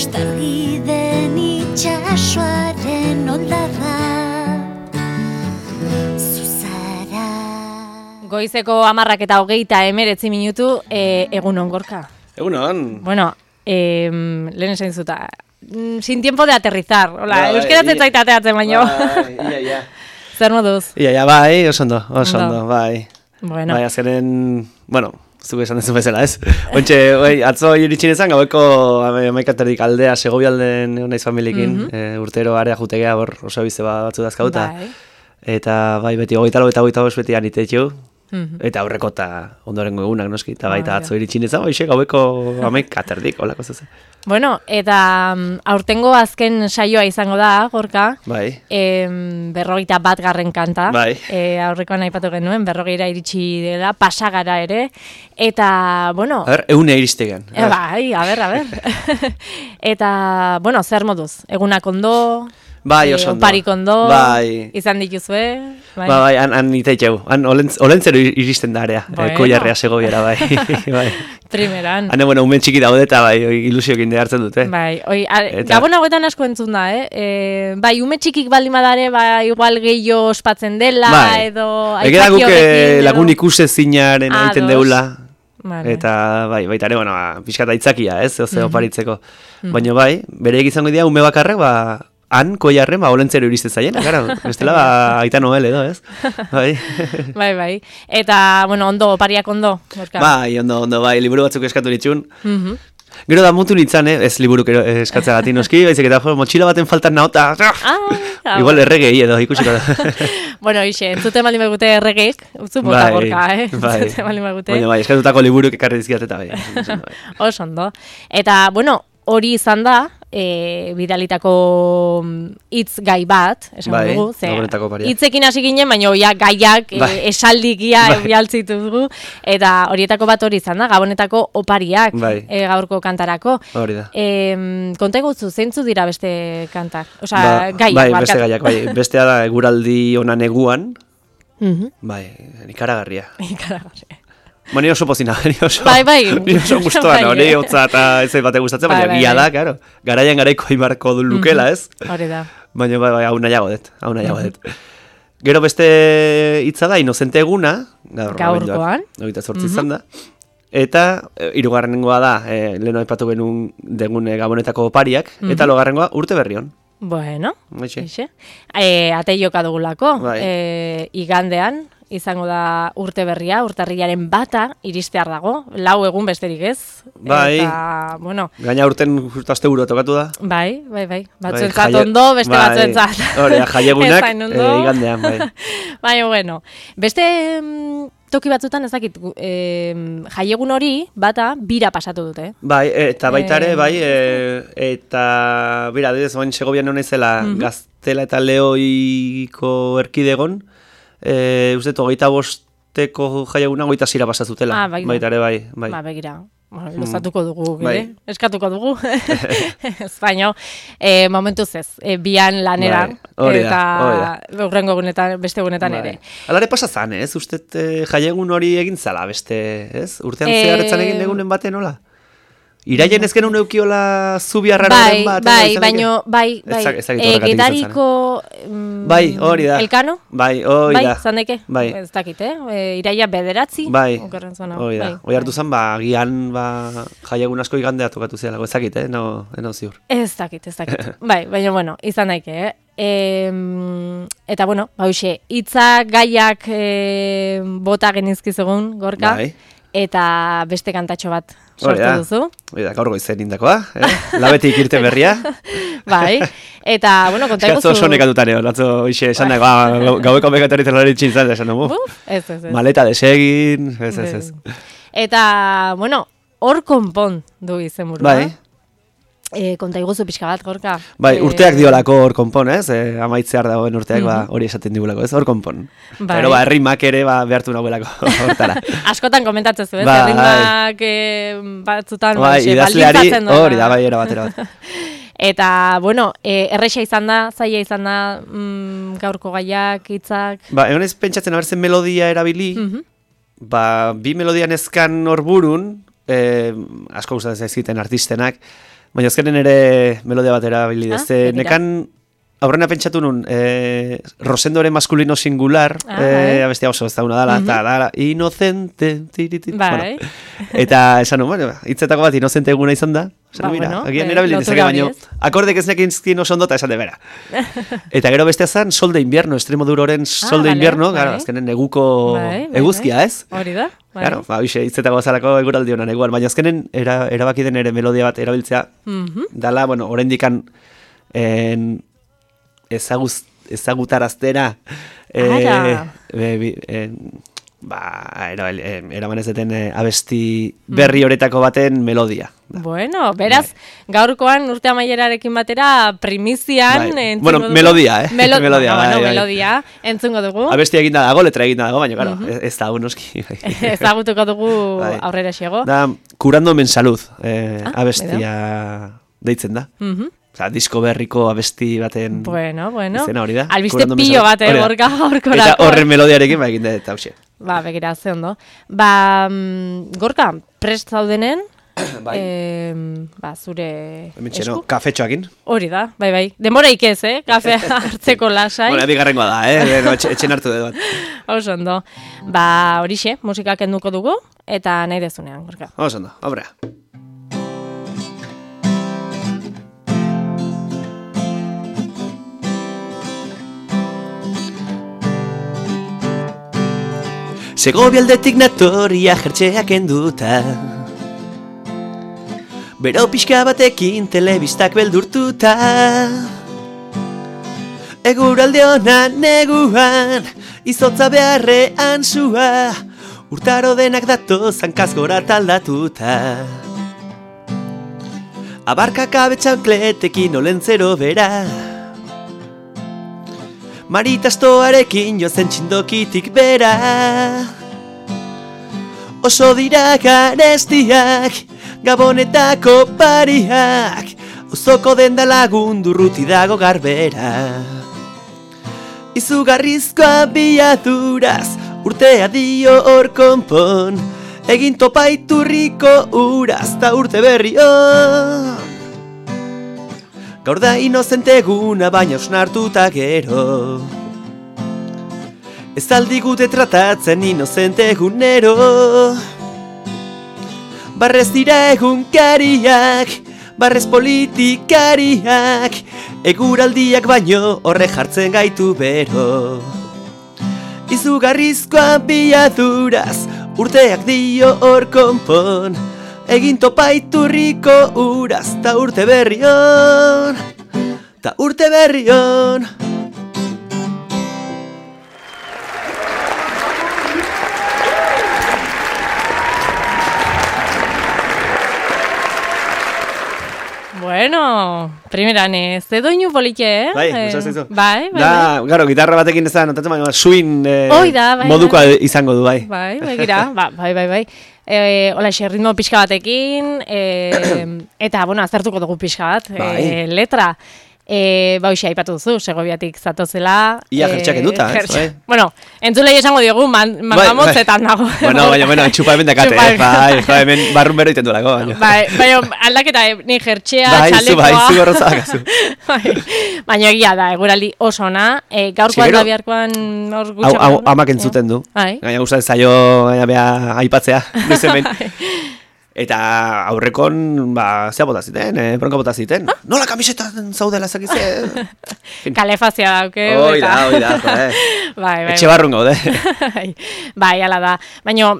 Ostalgi den itxasoaren oldarra zuzara. Goizeko 10:29 minutu, egunon Gorka. Egunon. Bueno, lehen esan zuta, sin tiempo de aterrizar. Hola, euskeratzen zaitateatzen baino. Ia. Zer moduz? Ia, bai, oso ondo, bai. Bueno. Bai, azkenen, zuke esan dezu bezala, ez? Ontxe, atzo iritsin ezan, gaueko 11:00 aldea, Segobialden naiz familiekin, urtero area jutegea, oso bize batzu dazkauta. Bai. Eta bai, beti 24 eta 25 beti anitetxu. Eta aurreko eta ondorengo egunak noski, eta baita atzo iritsin ezan, gaueko 11:30, holako zuzen. Bueno, eta aurtengo azken saioa izango da, Gorka. Bai. 51. kanta. Bai. Aurrekoan aipatu genuen, 40 iritsi dela, pasagara ere. Eta, bueno... A ber, egunea iristegan. Bai, a ber. Eta, bueno, zer moduz? Egunak ondo... Bai, oso ondo. Oparik ondo, bai. Izan dituzue. Bai, han itaitxeu. Han olentzero iristen da area. Bueno. Koiarrea Segobiara, bai. Bai. Primeran. Hane, umen txiki daude eta bai, ilusiokin de hartzen dute. Bai, Gabon hauetan asko entzun da, bai, ume txikik baldin badare, bai, igual gehiago ospatzen dela, bai. edo... Egera guke lagun ikuse zinaren egiten deula. Vale. Eta bai, baita ere, pixkat aitzakia, ez? Oze, oparitzeko. Baina bai, bere egizango dira, ume bakarrek, han koiarren, olentzero iriste zaien, gara, bestela aita Noel edo, ez? Bai. Bai. Eta, bueno, ondo, opariak ondo. Gorka. Bai, ondo, bai, liburu batzuk eskatu nitxun. Gero da mutu nintzen, ez liburuk eskatzea gati noski, baizik eta motxila baten faltan naota. Igual erregei edo, ikusiko da. Bueno, ixe, entzute maldin begute erregeik, utzu bota Gorka, Bai. Entzute maldin begute. Baina bai, eskatutako liburuk ekarri dizkiat eta bai. Oso ondo. Eta, bueno, hori izan da, bidalitako hitz gai bat, esan dugu, hitzekin hasi ginen, baina gaiak esaldikia bialtzitu dugu, eta horietako bat hori izan da, Gabonetako opariak gaurko kantarako. Hori da. Konta egutzu, zeintzu dira beste kantak? Osa, gaiak. Bai, beste gaiak, bai. Bestea da eguraldi ona neguan, bai, ikaragarria. Ni oso pozina, ni oso guztuan, hori hotza eta ez bate gustatzen, baina gila da, karo. Garaian garaiko imarko du lukela, ez? Hori da. Baina bai, hau nahiago dut. Gero beste hitza da, inozente eguna, gaurkoan, 28 izan da, eta hirugarrengoa da, leheno aipatu genuen degun Gabonetako opariak, eta logarrengoa urte berrion. Bueno, ate joka dugulako, igandean, izango da urte berria, urtarrilaren 1 iristear dago, 4 egun besterik ez. Bai, eta, bueno. Gaina urten aste buru tokatu da. Bai. Batzuentzat ondo, beste batzuentzat. Hori, jaiegunak igandean, bai. Baina, bueno. Beste toki batzutan ezakit, jaiegun hori, bira pasatu dute. Bai, eta baita ere, bai, eta, bera, adibidez, oain Segobian hona izela, Gaztela eta Leoiko erkidegon, uste, 25 jaieguna 26 pasazutela. Baita ere, bai. Begira, luzatuko dugu, eskatuko dugu. Baina, momentuz ez, bian lanera, eta urrengo egunetan, beste egunetan ere. Alare pasazan, ez? Uste, jaiegun hori egin zala, beste, ez? Urtean zeharretzan egin degunen baten, hola? Iraien ezken uneukiola zubiarraren bat? Bai, Gedariko... Bai, hori da. Elkano? Bai, hori da. Zandeke? Bai. Ez dakit, Iraia 9. Bai, hori da. Hoi hartu zen, gian, jaiegun asko igandea tokatu zelako, ez dakit, no ziur. Ez dakit. Bai, baina, bueno, izan daike, eta, bueno, hauxe, hitzak, gaiak bota genizkizugun, Gorka. Bai. Eta beste kantatxo bat sortu duzu. Hori da, gaur goizen indakoa, labetik irte berria. Bai, eta, bueno, konta eguzu... Eskatzu oso nekatutan egon, atzo hoxe esan dago, gaueko mekataritzen hori txintzan, esan dugu. Ez. Maleta desegin, ez. Eta, bueno, hor konpon du izen burua. Bai. Konta iguzu pixka bat, Gorka. Bai, urteak diolako hor konpon, ez? Amaitzear dagoen urteak, hori esaten digulako, ez? Hor konpon. Bai. Pero errimak ere behartu nagoelako hortara. Askotan komentatzen zu, ez? Errimak batzutan baldintzatzen doa. Hori da, bai, era batera bat. Eta, bueno, erresa izan da, zaila izan da, gaurko gaiak, hitzak... Egon ez pentsatzen, abertzen melodia erabili, bi melodia nezkan hor burun, asko gustatzen zaizkiten artistenak, baina azkenen ere melodia bat erabili dezte. Nekan aurrena pentsatu nun, Rosendoren maskulino singular, abestia oso ez da una dala, eta dala, inocente, bai. Eta esan nun, hitzetako bat inocente eguna izan da, agian erabili dezake baino, akordek ez nekin zkin oso ondo eta esan de bera. Eta gero bestea zan, Sol de Invierno, Extremoduroren Sol de Invierno, azkenen neguko eguzkia, ez? Hori da. Claro, hitzetako bazalako eguraldi honan eguan, baina azkenen erabaki den ere melodia bat erabiltzea, dala, bueno, oraindikan ezagutaraztera eraman ez deten abesti berri horetako baten melodia. Bueno, beraz, gaurkoan urte amaierarekin batera primizian bueno, melodia, melodia, entzungo dugu. Abestia eginda dago, letra eginda dago, baina, claro, ez da unoski. Ezagutuko dugu aurrera xego. Da, Curando Men Salud, abestia deitzen da. Osa, disko berriko abesti baten izena hori da. Albiste pilo bat, gorkorako. Eta horren melodiarekin egin da, eta hausia. Begira, ze ondo. Gorka, prest zaudenen, zure esku? Kafetxoakin. Hori da, bai. Demoraik ez, kafe hartzeko lasai. Bueno, bigarrengoa da, etxen hartu dut bat. Oso ondo. Horixe, musikak enduko dugu, eta nahi dezunean, Gorka. Oso ondo, obra. Segobialdetik natoria jertxeak enduta, bero pixka batekin telebistak beldurtuta, eguralde honan neguan, izotza beharrean sua, urtaro denak datoz hankaz gora taldatuta. Abarkak abetxankletekin olentzero bera, maritastoarekin jozen txindokitik bera, oso dira garestiak, gabonetako pariak, auzoko denda lagundu ruti dago garbera. Izugarrizkoa biaduraz, urtea dio hor konpon, egin topaiturriko uraz ta urte berrion. Gaur da inozente eguna baina osnartuta gero, ez aldigute tratatzen inozente egunero. Barrez dira egunkariak, barrez politikariak, eguraldiak baino horre jartzen gaitu bero. Izugarrizkoa biaduraz, urteak dio hor konpon, egin topaiturriko uraz ta urte berrion, ta urte berrion. Bueno, primeran ze doinu politxe, Bai, gustatzen Bai. Garo, gitarra batekin ez da notatzen, baina swing modukoa izango du, bai. Bai, gira, bai. Hola, ritmo pixka batekin, eta, bueno, aztertuko dugu pixka bat, letra. Hoxe, aipatu duzu, Segobiatik zatozela. Ia jertxak eduta, Bueno, entzulei esango diogu, mamotzetan dago. Bueno, txupa hemen dakate, hemen barrun bero iten duelako. Bai, aldaketa, ni jertxea, txalekoa. Bai, zu gorrotza dakazu. Baina egia da, eguraldi oso ona, gaurkoan da biharkoan hor gutxo. Amak entzuten du, gaina gustatzen zaio aipatzea, nuizen eta aurrekon, zea bota ziten, bronka bota ziten. Nola kamisetan zaudela zakize? Kalefazia dauke. Hoi da, etxe barrun gaude. Bai, ala da. Baina,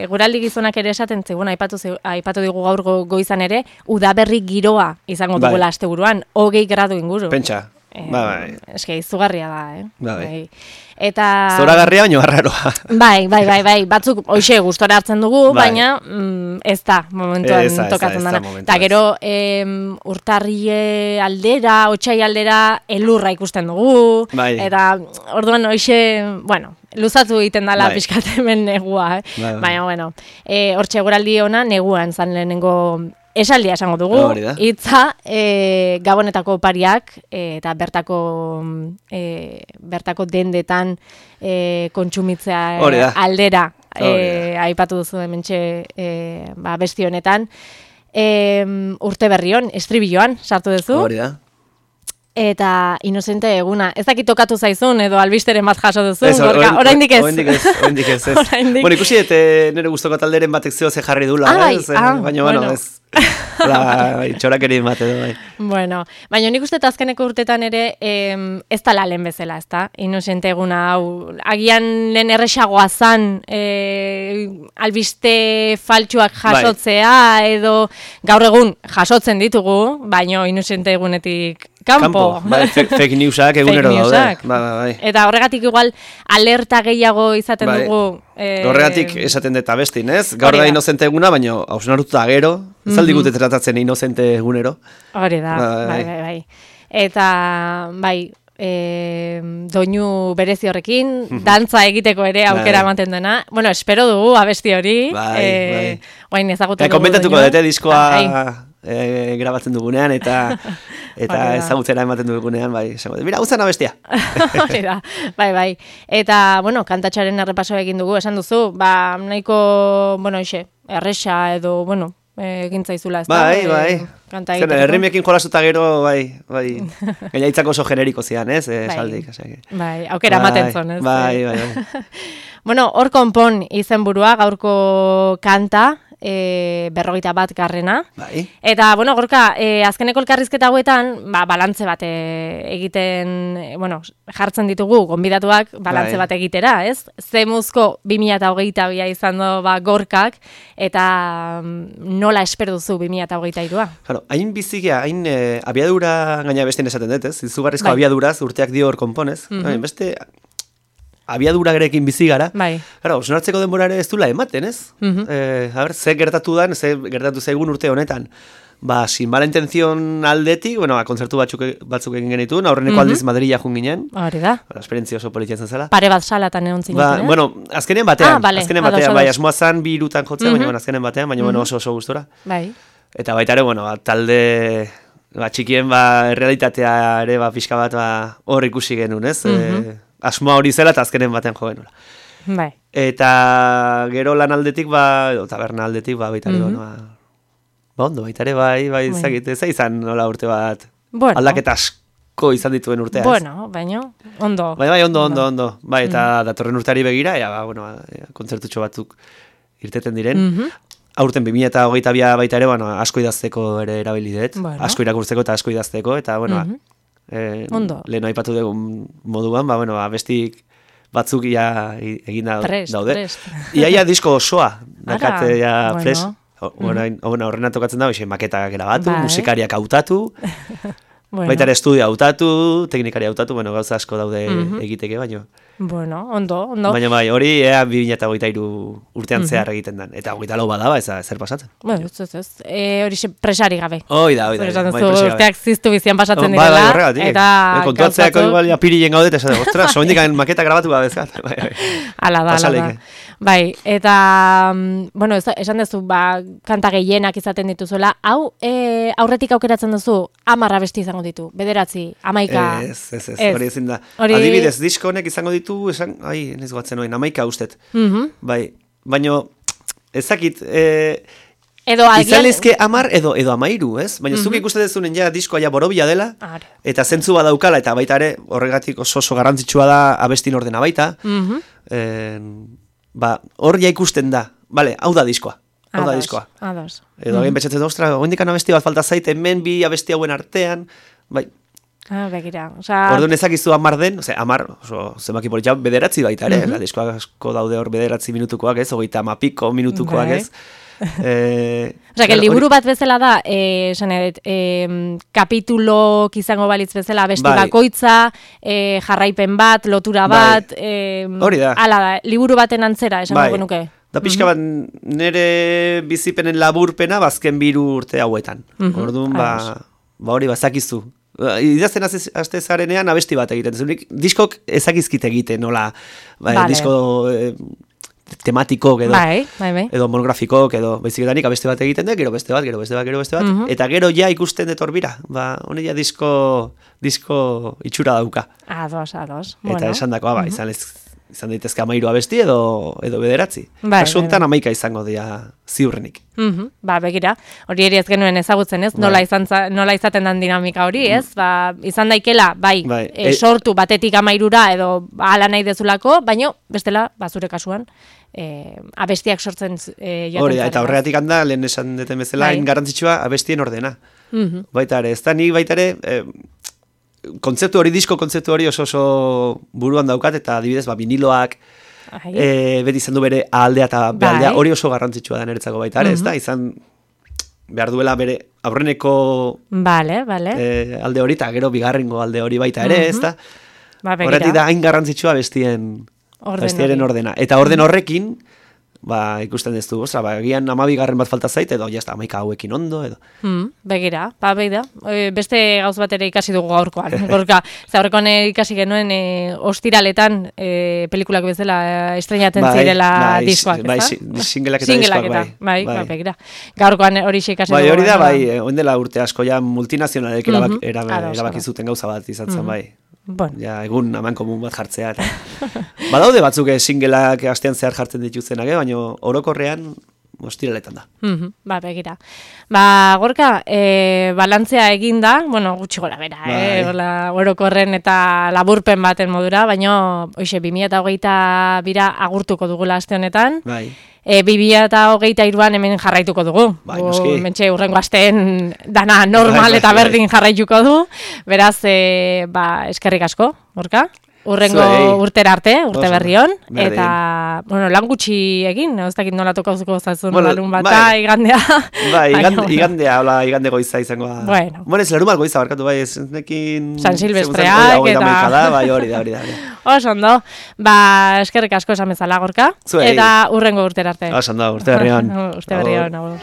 guraldi gizonak ere esaten zegoen, aipatu digu gaur goizan ere, udaberri giroa izango dugula asteburuan, 20 gradu inguru. Pentsa. Eske, izugarria da, Bai. Eta... Zoragarria baino arraroa. Bai. Batzuk, hoxe, gustora hartzen dugu, baina ez da, momentuan tokatzen dana. Eta gero, urtarrie aldera, otsai aldera, elurra ikusten dugu. Eta, orduan, hoxe, bueno, luzatu egiten dala pixkat hemen negua. Baina, bueno, hortxe eguraldi ona, neguan zan lehenengo... Esaldia esango dugu, hitza gabonetako pariak eta bertako dendetan kontsumitzea aldera aipatu duzu hementxe besti honetan. Urte berrion, estribilloan, sartu duzu. Hori da. Eta inozente eguna. Ez dakit tokatu zaizun edo albisteren bat jaso duzu. Oraindik ez. Oraindik ez. Bueno, ikusi nire gustoko talderen batek zeo ze jarri dula. Baina, bueno, ez. Txorakeri bat edo, bai. Bueno, baina nik uste azkeneko urtetan ere ez da lehen bezala, ez da? Inozente eguna, hau, agian lehen erresagoa zan albiste faltsuak jasotzea, edo gaur egun jasotzen ditugu, baina inozente egunetik Kampo. Fake newsak egunero daude. Eta horregatik igual alerta gehiago izaten dugu. Horregatik esaten dut abestin, ez? Gaur da inozente eguna, baina hausnarututa gero, ez aldigute tratatzen inozente egunero. Hori da, bai. Eta, bai, doinu berezi horrekin, dantza egiteko ere aukera ematen dena. Bueno, espero dugu abesti hori. Bai. Guain ezagutzen dugu. Komentatuko dute diskoa grabatzen dugunean eta ezagutzera ematen dugunean, bai, mira, guztan abestia. Bai. Eta, bueno, kantatxaren errepaso egin dugu, esan duzu, nahiko, bueno, erresa edo, bueno, egin zaizula, ez da? Bai. Herrimiekin jolasuta gero, bai. Gaiaitzako oso generiko zian, ez? Saldik. Bai, aukera ematen zon, ez? Bai. Bueno, hor konpon izenburua, gaurko kanta, 51. Bai. Eta, bueno, Gorka, azkeneko elkarrizketa hauetan, balantze bat egiten, bueno, jartzen ditugu, gonbidatuak balantze bat egitera, ez? Zemuzko 2022 izan do, Gorkak, eta nola espero duzu 2022? Claro, hain bizikia, hain abiadura gaina bestein esaten dut, ez? Izugarrizko abiaduraz, urteak dio hor konponez. Beste abiadura gerekin bizi gara. Bai. Claro, osnartzeko denbora ere ez dula ematen, ez? Ze gertatu zaigun urte honetan. Sin mala intención aldetik, bueno, kontzertu batzuk egin genituen, aurreneko aldiz Madrila jun ginen. Hori da. Esperientzia oso politia zen zela. Pare bat salatan egon zineten, Bueno, azkenean batean, bai, asmoa zan bi irutan jotzea, baina azkenean batean, baina oso gustora. Bai. Eta baita ere, bueno, talde txikien errealitatea ere pixka bat hor ikusi genuen, ez? Asmoa hori zela eta azkenen batean jo genuen. Bai. Eta gero lan aldetik, edo taberna aldetik, baita ere, ondo, baita ere, bai, ez izan nola urte bat, aldaketa asko izan dituen urtea, ez? Bueno, baina, ondo. Bai, ondo. Bai, eta datorren urteari begira, kontzertutxo batzuk irteten diren. Aurten 2022 baita ere, asko idazteko ere erabilidet, asko irakurtzeko eta asko idazteko, eta, lehen aipatu dugun moduan, bestik batzuk egin daude. Iaia disko osoa, dakate fres. Horrena tokatzen da, maketa grabatu, musikariak hautatu, baita ere estudio hautatu, teknikari hautatu, gauza asko daude egiteke, baino. Bueno, ondo. Baina hori 2023 urtean zehar egiten den. Eta 24 badaba, zer pasatzen. Bueno, ez. Hori presari gabe. Hoi da. Urteak ziztu bizian pasatzen direla. Eta kontuatzeako igual apirilen gaudet, esan, ostra, soindik maketa grabatu gabe ezkat. Ala da. Bai, eta, bueno, esan duzu, kanta gehienak izaten dituzuela, hau aurretik aukeratzen duzu, 10 abesti izango ditu, 9, 11. Ez, hori ezin da. Adibidez, disko honek izango ditu, ez goatzen oin, 11 ustet. Bai, baina, ezakit, izan lezke 10 edo 13, ez? Baina zuk ikusten dezunen diskoa borobila dela, eta zentzu badaukala, eta baita ere, horregatik oso garrantzitsua da abestin ordena baita, hor ikusten da, hau da diskoa. Ados. Edo egin betxatzen da, ostra, oindikan abesti bat falta zait, hemen bi abesti hauen artean, bai. Begira, orduan ezakizu 10 den, 10, zenbaki politxa, 9 baita ere, diskoak asko daude hor 9 minutukoak ez, 30 piko minutukoak ez. Liburu bat bezala da, kapitulok izango balitz bezala, abesti bakoitza, jarraipen bat, lotura bat, hori da. Hala da, liburu baten antzera, esango genuke. Da pixka bat nire bizipenen laburpena bazken 2 urte hauetan. Orduan, hori bazakizu. Idazten azte zarenean abesti bat egiten. Diskok ezakizkit egiten, nola, disko tematikok edo, edo monografikok edo, beziketanik abesti bat egiten dut, gero beste bat, eta gero ja ikusten detorbira. Hone ja disko itxura dauka. Ados. Eta esan dakoa, izan daitezke 13 abesti edo 9. Kasu honetan 11 izango dira ziurrenik. Begira, hori ere ez genuen ezagutzen, ez? Nola izaten den dinamika hori, ez? Izan daikela, sortu batetik 13ra edo hala nahi dezulako, baina bestela, zure kasuan, abestiak sortzen jaten. Hori, eta horregatik handa, lehen esan deten bezala, hain garrantzitsua abestien ordena. Baita ere, ez da nik baita ere, disko kontzeptu hori oso buruan daukat, eta adibidez, viniloak, beti izan du bere aldea eta bealdea, hori oso garrantzitsua da niretzako baita ere, ez da, izan behar duela bere aurreneko alde hori, eta gero bigarrengo alde hori baita ere, ez da, horretik da hain garrantzitsua bestien ordena. Eta orden horrekin, ikusten ez du, egian 12 bat falta zait, edo jazta 11 hauekin ondo, edo. Begira, beste gauz bat ere ikasi dugu gaurkoan. Gaurkoan ikasi genuen ostiraletan pelikulak bezala estreinatzen zirela diskoak, ez da? Singelak eta diskoak, begira. Gaurkoan hori ikasi dugu. Hori da, oindela urte asko, multinazionalek erabaki zuten gauza bat izatzen, egun aman komun bat jartzea. Badaude batzuk singleak astean zehar jartzen dituztenak, baina orokorrean ostiraletan da. Begira. Gorka, balantzea eginda, gutxi gora bera, orokorren eta laburpen baten modura, baina 2022 agurtuko dugula aste honetan. 2023an hemen jarraituko dugu. Mentxe urrengo asteen dana normal eta berdin jarraituko du. Beraz, eskerrik asko, Gorka. Urrengo urtera arte, urte berrion. Eta, lan gutxi egin, ez dakit nola tokauzuko zazun larun bat, igandea. Igande goiza izango da. Ez larun bat goiza barkatu, ez nekin... San Silvestreak eta... Hori da. Oso ondo, eskerrik asko esan bezala, Gorka. Eta urrengo urtera arte. Oso ondo, urte berrion. Urte berrion, agur.